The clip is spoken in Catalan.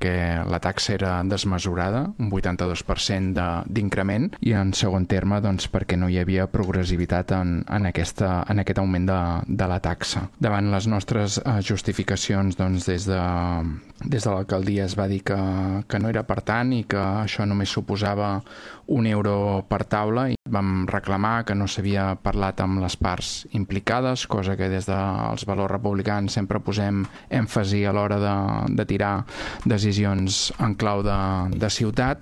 que la taxa era desmesurada, un 82% d'increment, i en segon terme doncs, perquè no hi havia progressivitat en aquest augment de la taxa. Davant les nostres justificacions doncs, des de l'alcaldia es va dir que no era per tant i que això només suposava €1 per taula, i vam reclamar que no s'havia parlat amb les parts implicades, cosa que des dels valors republicans sempre posem èmfasi a l'hora de tirar decisions en clau de ciutat.